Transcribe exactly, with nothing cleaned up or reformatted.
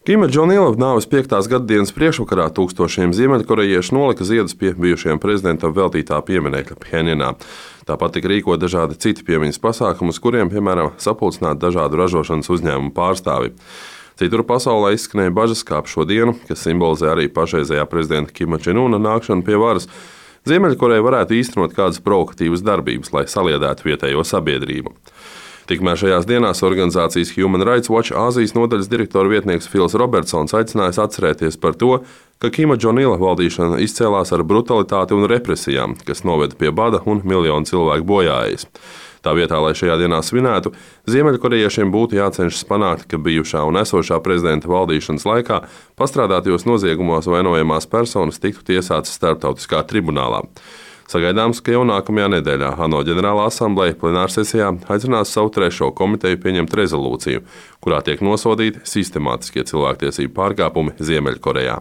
Kima Džong-ila nāves piektās gadadienas priekšvakarā tūkstošiem ziemeļkorejiešu nolika ziedus pie bijušajam prezidentam veltītā pieminekļa Phenjanā. Tāpat tika rīkot dažādi citi piemiņas pasākumi, uz kuriem, piemēram, sapulcināti dažādu ražošanas uzņēmumu pārstāvi. Citur pasaulē izskanēja bažas, kā ap šo dienu, kas simbolizē arī pašreizējā prezidenta Kima Čen-una nākšanu pie varas, Ziemeļkoreja varētu īstenot kādas provokatīvas darbības, lai saliedētu vietējo sabiedrību. Tikmēr šajās dienās organizācijas Human Rights Watch Āzijas nodaļas direktora vietnieks Fils Robertsons aicinājis atcerēties par to, ka Kima Džong-ila valdīšana izcēlās ar brutalitāti un represijām, kas noveda pie bada un miljonu cilvēku bojājas. Tā vietā, lai šajā dienā svinētu, ziemeļkorejiešiem būtu jācenšas panākt, ka bijušā un esošā prezidenta valdīšanas laikā pastrādātajos noziegumos vainojamās personas tiktu tiesātas starptautiskā tribunālā. Sagaidāms, ka jau nākamajā nedēļā ANO ģenerālā asambleja plenārsesijā aicinās savu trešo komiteju pieņemt rezolūciju, kurā tiek nosodīti sistemātiskie cilvēktiesību pārkāpumi Ziemeļkorejā.